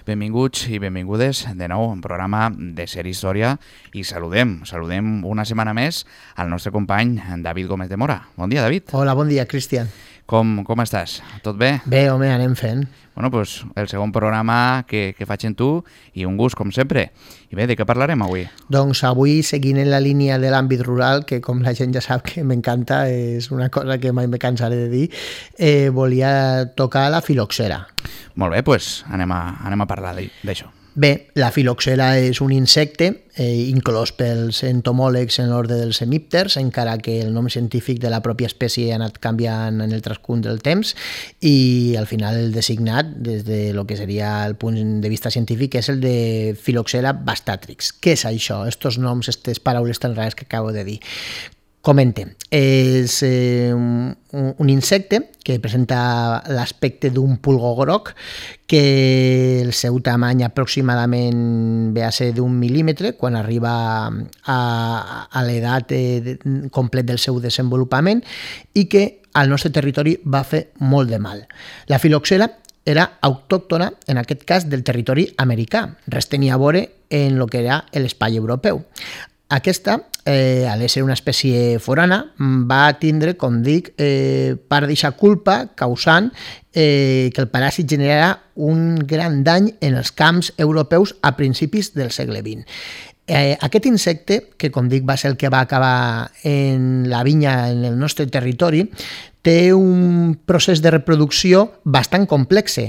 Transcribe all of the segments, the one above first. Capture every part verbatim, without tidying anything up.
Benvinguts i benvingudes de nou a un programa de Ser Història i saludem, saludem una setmana més al nostre company David Gómez de Mora. Bon dia, David. Hola, bon dia, Cristian. Com, com estàs? Tot bé? Bé, home, anem fent. Bueno, doncs el segon programa que, que faig en tu i un gust, com sempre. I bé, de què parlarem avui? Doncs avui, seguint en la línia de l'àmbit rural, que com la gent ja sap que m'encanta, és una cosa que mai me cansaré de dir, eh, volia tocar la filoxera. Molt bé, doncs anem a, anem a parlar d'això. Bé, la filoxera és un insecte eh, inclòs pels entomòlegs en l'ordre dels hemípters, encara que el nom científic de la pròpia espècie ha anat canviant en el transcurs del temps i al final el designat des de lo que seria el punt de vista científic és el de Phylloxera bastatrix. Què és això? Estos noms, aquestes paraules tan rares que acabo de dir. Comente, és eh, un, un insecte que presenta l'aspecte d'un pulgó groc, que el seu tamany aproximadament ve a ser d'un mil·límetre quan arriba a, a l'edat eh, complet del seu desenvolupament i que al nostre territori va fer molt de mal. La filoxera era autòctona, en aquest cas, del territori americà. Res tenia a veure en el que era l'espai europeu. Aquesta, eh, a ser una espècie forana, va tindre, com dic, eh, part d'aquesta culpa causant eh, que el paràsit generara un gran dany en els camps europeus a principis del segle vint. Eh, aquest insecte, que com dic va ser el que va acabar en la vinya en el nostre territori, té un procés de reproducció bastant complex,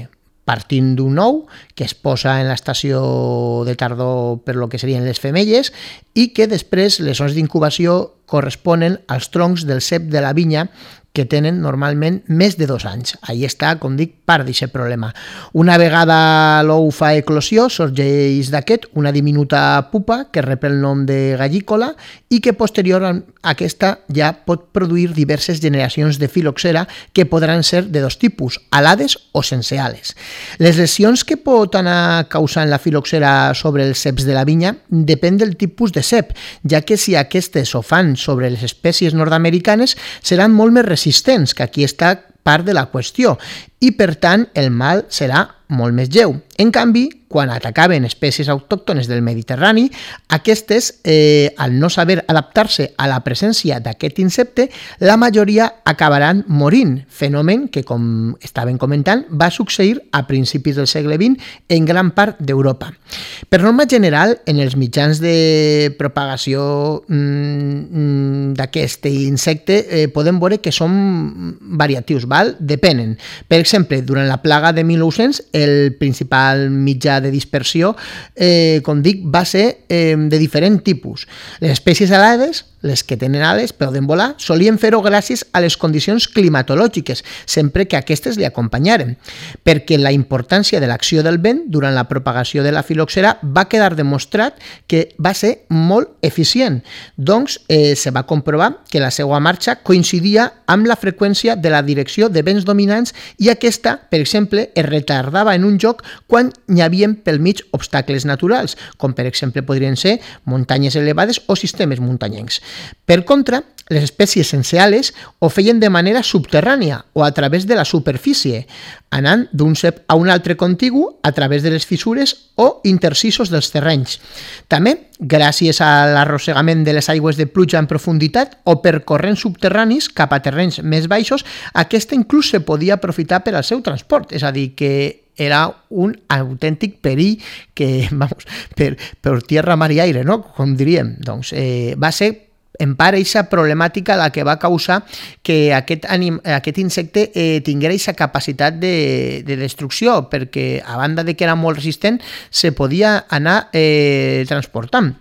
partint d'un ou que es posa en l'estació de tardor per lo que serien les femelles i que després les zones d'incubació corresponen als troncs del cep de la vinya que tenen normalment més de dos anys. Ahí està, com dic, part d'aquest problema. Una vegada l'ou fa eclosió, sorgeix d'aquest una diminuta pupa que rep el nom de gallícola i que posterior a aquesta ja pot produir diverses generacions de filoxera que podran ser de dos tipus, alades o sense ales. Les lesions que pot anar causant la filoxera sobre els ceps de la vinya depèn del tipus de cep, ja que si aquestes ho fan sobre les espècies nord-americanes seran molt més resistents, que aquí està part de la qüestió, i per tant el mal serà molt més lleu. En canvi, quan atacaven espècies autòctones del Mediterrani, aquestes, eh, al no saber adaptar-se a la presència d'aquest insecte, la majoria acabaran morint, fenomen que, com estaven comentant, va succeir a principis del segle vint en gran part d'Europa. Per norma general, en els mitjans de propagació mmm, d'aquest insecte eh, podem veure que són variatius, val? Depenen. Per exemple, durant la plaga de mil nou-cents, el principal mitjà de dispersió, eh, com dic, va ser eh, de diferent tipus. Les espècies alades, les que tenen ales, poden volar, solien fer-ho gràcies a les condicions climatològiques, sempre que aquestes li acompanyaren, perquè la importància de l'acció del vent durant la propagació de la filoxera va quedar demostrat que va ser molt eficient. Doncs eh, se va comprovar que la seva marxa coincidia amb la freqüència de la direcció de vents dominants i aquesta, per exemple, es retardava en un lloc quan hi havia pel mig obstacles naturals, com per exemple podrien ser muntanyes elevades o sistemes muntanyencs. Per contra, les espècies sense ales ho feien de manera subterrània o a través de la superfície, anant d'un cep a un altre contigu a través de les fissures o intercisos dels terrenys. També, gràcies a l'arrossegament de les aigües de pluja en profunditat o per corrents subterranis cap a terrenys més baixos, aquesta inclús se podia aprofitar per al seu transport, és a dir, que era un autèntic perill que, vamos, per, per tierra, mar i aire, no? Com diríem. Doncs eh, va ser en part aquesta problemàtica la que va causar que aquest, anim, aquest insecte eh, tinguera aquesta capacitat de, de destrucció, perquè a banda de que era molt resistent, se podia anar eh, transportant.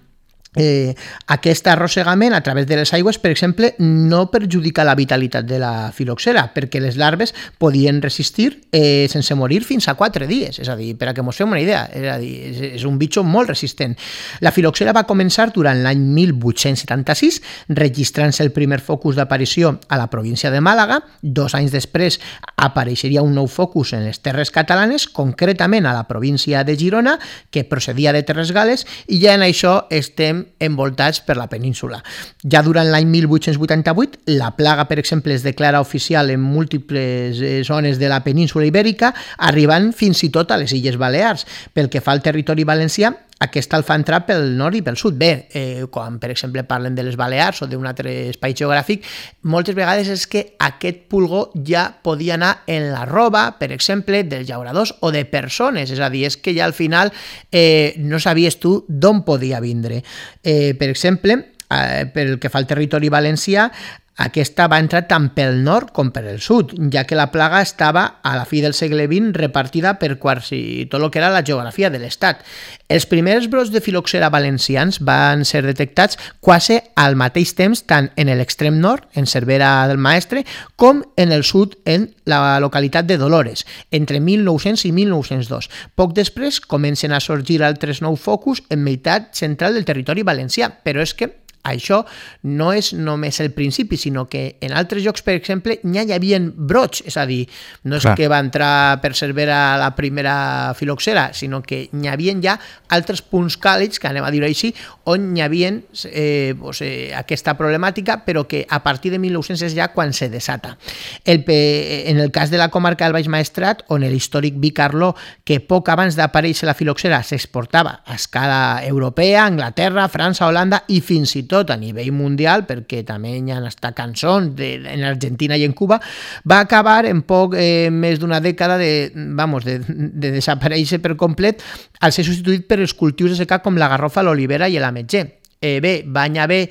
Eh, aquest arrossegament a través de les aigües, per exemple, no perjudica la vitalitat de la filoxera, perquè les larves podien resistir eh, sense morir fins a quatre dies, és a dir, per a que mos fem una idea, és a dir, és, és un bitxo molt resistent. La filoxera va començar durant l'any mil vuit-cents setanta-sis, registrant-se el primer focus d'aparició a la província de Màlaga. Dos anys després apareixeria un nou focus en les terres catalanes, concretament a la província de Girona, que procedia de Terres Gal·les, i ja en això estem estem envoltats per la península. Ja durant l'any mil vuit-cents vuitanta-vuit, la plaga, per exemple, es declara oficial en múltiples zones de la península ibèrica, arribant fins i tot a les Illes Balears. Pel que fa al territori valencià, aquesta el fa entrar pel nord i pel sud. Bé, eh, quan, per exemple, parlen de les Balears o d'un altre espai geogràfic, moltes vegades és que aquest pulgó ja podia anar en la roba, per exemple, dels llauradors o de persones. És a dir, és que ja al final eh, no sabies tu d'on podia vindre. Eh, per exemple, eh, pel que fa al territori valencià, aquesta va entrar tant pel nord com per el sud, ja que la plaga estava a la fi del segle vint repartida per quasi tot el que era la geografia de l'estat. Els primers brots de filoxera valencians van ser detectats quasi al mateix temps tant en l'extrem nord, en Cervera del Maestre, com en el sud, en la localitat de Dolores, entre mil nou-cents i mil nou-cents dos. Poc després comencen a sorgir altres nous focus en meitat central del territori valencià, però és que això no és només el principi, sinó que en altres llocs, per exemple, ja hi havia brots, és a dir, no és Clar. que va entrar per Cervera la primera filoxera, sinó que hi havia ja altres punts càlids, que anem a dir-ho així, on hi havia eh, pues, eh, aquesta problemàtica, però que a partir de mil nou-cents és ja quan se desata. El, en el cas de la comarca del Baix Maestrat, on l'històric vi Carló, que poc abans d'aparèixer la filoxera s'exportava a escala europea, Anglaterra, França, Holanda i fins i tot a nivell mundial, perquè també hi ha hasta cançons de, en Argentina i en Cuba, va acabar en poc eh, més d'una dècada de, vamos, de, de desaparèixer per complet al ser substituït per els cultius de secà com la garrofa, l'olivera i l'ametller. Eh, bé, va haver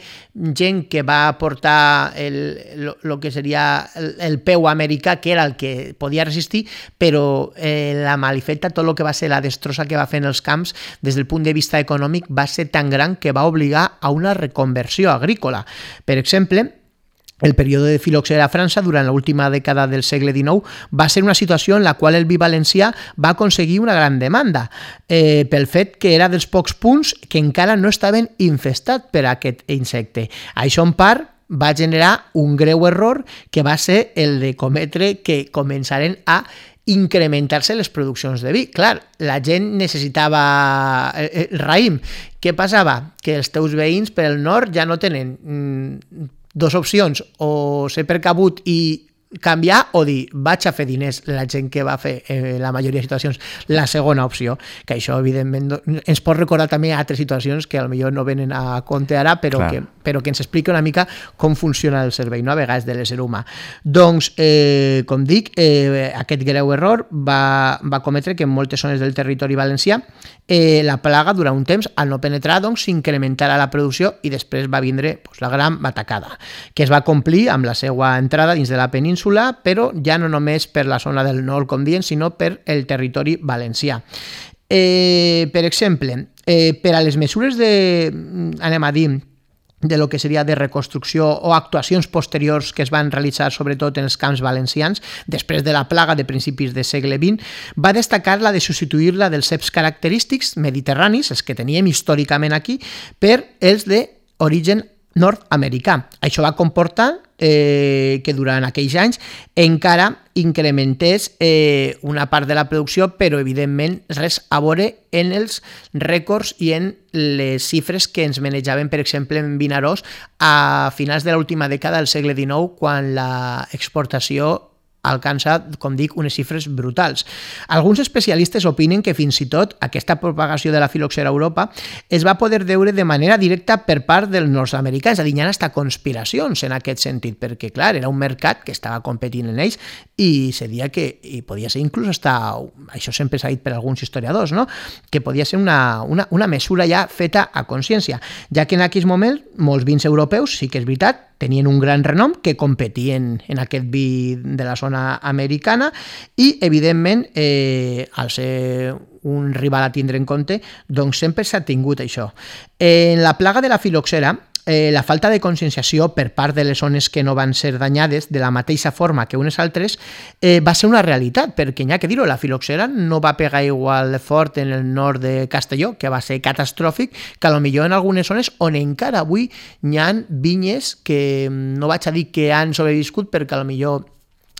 gent que va portar el, lo que seria el, el peu americà, que era el que podia resistir, però eh, la malifeta, tot el que va ser la destrossa que va fer en els camps, des del punt de vista econòmic, va ser tan gran que va obligar a una reconversió agrícola. Per exemple, el període de filoxera a França durant l'última dècada del segle dinou va ser una situació en la qual el vi valencià va aconseguir una gran demanda eh, pel fet que era dels pocs punts que encara no estaven infestats per aquest insecte. Això en part va generar un greu error que va ser el de cometre que començaren a incrementar-se les produccions de vi. Clar, la gent necessitava el raïm. Què passava? Que els teus veïns per el nord ja no tenen mm, dos opcions, o ser precabut i canviar o dir vaig a fer diners, la gent que va fer eh, la majoria de situacions la segona opció, que això evidentment ens pot recordar també altres situacions que potser no venen a compte ara, però que, però que ens explica una mica com funciona el cervell, no? A vegades de l'ésser humà. Doncs, eh, com dic, eh, aquest greu error va, va cometre que en moltes zones del territori valencià eh, la plaga durant un temps, al no penetrar, doncs s'incrementara la producció i després va vindre pues, la gran batacada, que es va complir amb la seva entrada dins de la península, però ja no només per la zona del nord, com dient, sinó per el territori valencià. Eh, per exemple, eh, per a les mesures de, anem a dir, de lo que seria de reconstrucció o actuacions posteriors que es van realitzar sobretot en els camps valencians després de la plaga de principis del segle vint, va destacar la de substituir-la dels ceps característics mediterranis, els que teníem històricament aquí, per els d'origen nord-americà. Això va comportar eh, que durant aquells anys encara incrementés eh, una part de la producció, però evidentment res a veure en els rècords i en les xifres que ens manejaven, per exemple, en Vinaròs a finals de l'última dècada del segle dinou, quan l'exportació alcança, com dic, unes xifres brutals. Alguns especialistes opinen que fins i tot aquesta propagació de la filoxera a Europa es va poder veure de manera directa per part dels nord-americans, és a dir, hi ha hasta conspiracions en aquest sentit, perquè, clar, era un mercat que estava competint en ells i se dia que, i podia ser inclús hasta, això sempre s'ha dit per alguns historiadors, no? Que podia ser una, una, una mesura ja feta a consciència, ja que en aquells moments molts vins europeus, sí que és veritat, tenien un gran renom que competien en aquest vi de la zona americana i, evidentment, eh, al ser un rival a tindre en compte, doncs sempre s'ha tingut això. En la plaga de la filoxera, eh, la falta de conscienciació per part de les zones que no van ser danyades de la mateixa forma que unes altres eh, va ser una realitat, perquè n'hi ha que dir-ho, la filoxera no va pegar igual de fort en el nord de Castelló, que va ser catastròfic, que potser en algunes zones on encara avui n'hi ha vinyes que no vaig a dir que han sobreviscut, perquè potser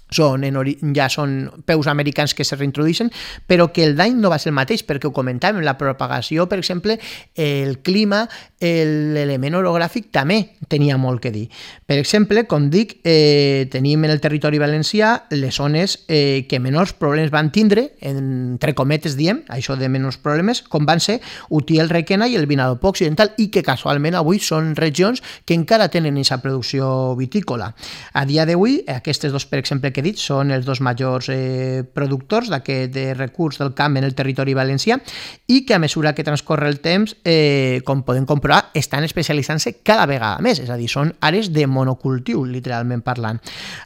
són en ori... ja són peus americans que se reintrodueixen, però que el dany no va ser el mateix, perquè ho comentàvem, la propagació, per exemple, el clima, l'element orogràfic també tenia molt que dir. Per exemple, com dic, eh, tenim en el territori valencià les zones eh, que menors problemes van tindre, entre cometes diem, això de menors problemes, com van ser Utiel, Requena i el Vinalopó Occidental, i que casualment avui són regions que encara tenen aquesta producció vitícola. A dia d'avui, aquestes dos, per exemple, que he dit, són els dos majors eh, productors d'aquest de recurs del camp en el territori valencià i que a mesura que transcorre el temps, eh, com podem comprovar, estan especialitzant-se cada vegada més, és a dir, són àrees de monocultiu, literalment parlant.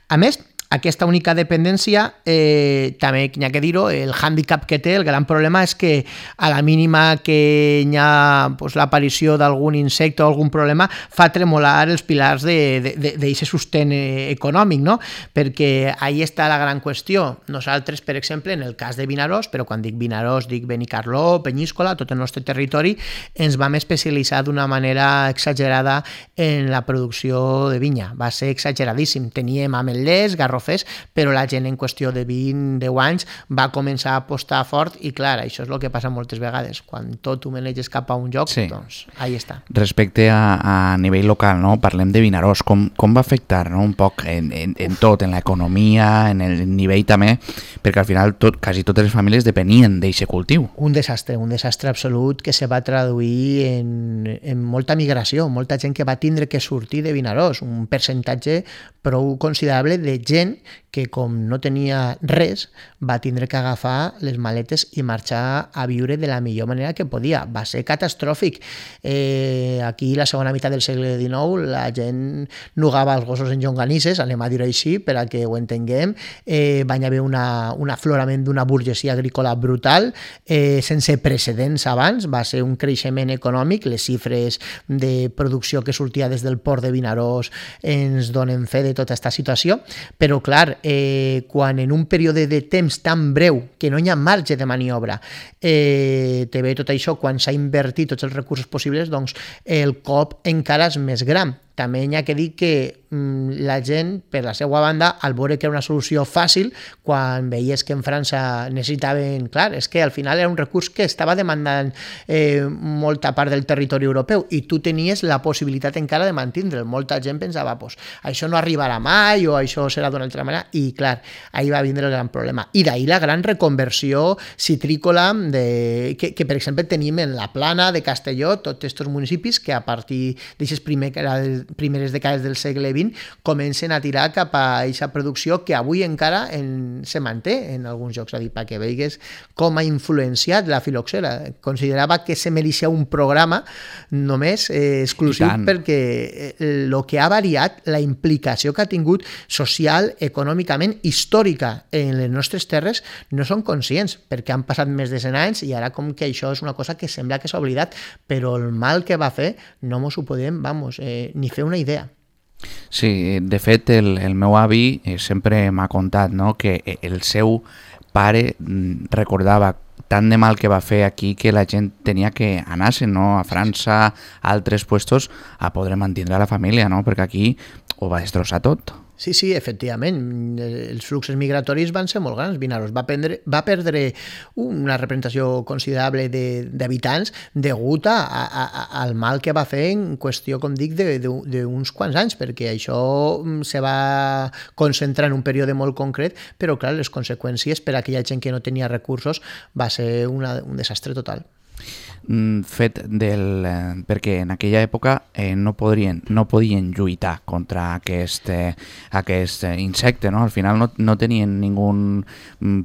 A més, aquesta única dependència, eh, també n'hi ha que dir-ho, el hàndicap que té, el gran problema és que a la mínima que hi ha pues, l'aparició d'algun insecte o algun problema fa tremolar els pilars d'aquest sostén econòmic, no? Perquè ahí està la gran qüestió. Nosaltres, per exemple, en el cas de Vinaròs, però quan dic Vinaròs dic Benicarló, Penyíscola, tot el nostre territori, ens vam especialitzar d'una manera exagerada en la producció de vinya. Va ser exageradíssim. Teníem ametllers, garrofers, però la gent en qüestió de vint a deu anys va començar a apostar fort i clar, això és el que passa moltes vegades, quan tot ho maneges cap a un lloc, sí. Doncs ahí està. Respecte a, a nivell local, no? Parlem de Vinaròs, com, com va afectar, no? Un poc en, en, en tot, en l'economia, en el nivell també, perquè al final tot, quasi totes les famílies depenien d'aquest cultiu. Un desastre, un desastre absolut que se va traduir en, en molta migració, molta gent que va tindre que sortir de Vinaròs, un percentatge prou considerable de gent que com no tenia res va tindre que agafar les maletes i marxar a viure de la millor manera que podia. Va ser catastròfic. Eh, aquí, la segona meitat del segle dinou, la gent nugava els gossos en llonganisses, anem a dir-ho així, per a que ho entenguem. Eh, va haver una, un aflorament d'una burgesia agrícola brutal, eh, sense precedents abans. Va ser un creixement econòmic. Les xifres de producció que sortia des del port de Vinaròs ens donen fe de tota aquesta situació, però clar, eh, quan en un període de temps tan breu que no hi ha marge de maniobra eh, te ve tot això, quan s'ha invertit tots els recursos possibles, doncs el cop encara és més gran. També hi ha que dir que mm, la gent, per la seva banda, al veure que era una solució fàcil, quan veies que en França necessitaven... Clar, és que al final era un recurs que estava demandant eh, molta part del territori europeu i tu tenies la possibilitat encara de mantindre'l. Molta gent pensava, pues, això no arribarà mai o això serà d'una altra manera, i clar, ahí va vindre el gran problema. I d'ahir la gran reconversió citrícola de, que, que, per exemple, tenim en la Plana de Castelló, tots aquests municipis que a partir d'aquestes primeres primeres dècades del segle vint comencen a tirar cap a aquesta producció que avui encara en, se manté en alguns llocs, a dir, perquè veigues com ha influenciat la filoxera. Considerava que se mereixia un programa només eh, exclusiu perquè el eh, que ha variat, la implicació que ha tingut social, econòmicament, històrica en les nostres terres, no són conscients, perquè han passat més de cent anys i ara com que això és una cosa que sembla que s'ha oblidat, però el mal que va fer no mos ho podem, vamos, eh, ni fer una idea. Sí, de fet el, el meu avi sempre m'ha contat, no?, que el seu pare recordava tant de mal que va fer aquí que la gent tenia que anar-se, no?, a França, a altres puestos, a poder mantenir la família, no?, perquè aquí ho va destrossar tot. Sí, sí, efectivament, els fluxos migratoris van ser molt grans. Vinaròs va, prendre, va perdre una representació considerable d'habitants degut a, a, a, al mal que va fer en qüestió, com dic, d'uns quants anys, perquè això se va concentrar en un període molt concret, però clar, les conseqüències per a aquella gent que no tenia recursos va ser una, un desastre total. Fet del... Eh, perquè en aquella època eh, no, podrien, no podien lluitar contra aquest, eh, aquest insecte, no? Al final no, no tenien ningun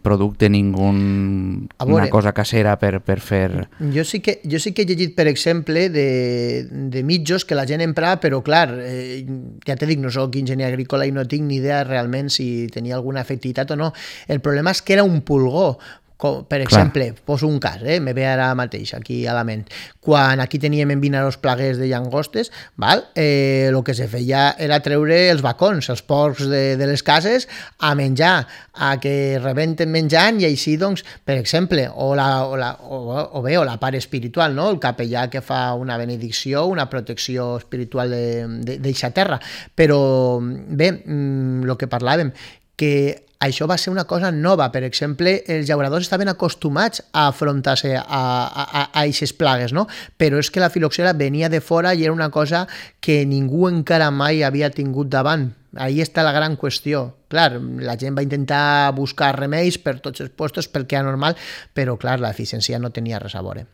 producte, ningun una cosa casera per, per fer... Jo sí, que, jo sí que he llegit, per exemple, de, de mitjos que la gent emprava, però clar, eh, ja te dic, no soc enginyer agrícola i no tinc ni idea realment si tenia alguna efectivitat o no. El problema és que era un pulgó. Com, per exemple, clar, poso un cas, eh? me ve ara mateix aquí a la ment. Quan aquí teníem en Vinaròs plagues de llangostes, val? Eh, el que se feia era treure els bacons, els porcs de, de les cases, a menjar, a que rebenten menjant, i així, doncs, per exemple, o, la, o, la, o, o bé, o la part espiritual, no? El capellà que fa una benedicció, una protecció espiritual d'eixa terra. Però, bé, el que parlàvem, que això va ser una cosa nova. Per exemple, els llauradors estaven acostumats a afrontar-se a, a, a aquestes plagues, no? Però és que la filoxera venia de fora i era una cosa que ningú encara mai havia tingut davant. Ahí està la gran qüestió. Clar, la gent va intentar buscar remeis per tots els puestos pel que era normal, però clar, l'eficiència no tenia res a veure.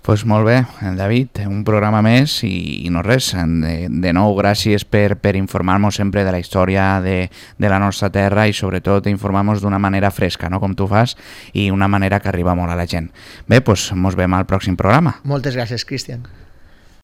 Pues molt bé, David, un programa més i, i no res. De, de nou, gràcies per, per informar-nos sempre de la història de, de la nostra terra i sobretot informar-nos d'una manera fresca, no? Com tu fas, i una manera que arriba molt a la gent. Bé, doncs mos veiem al pròxim programa. Moltes gràcies, Cristian.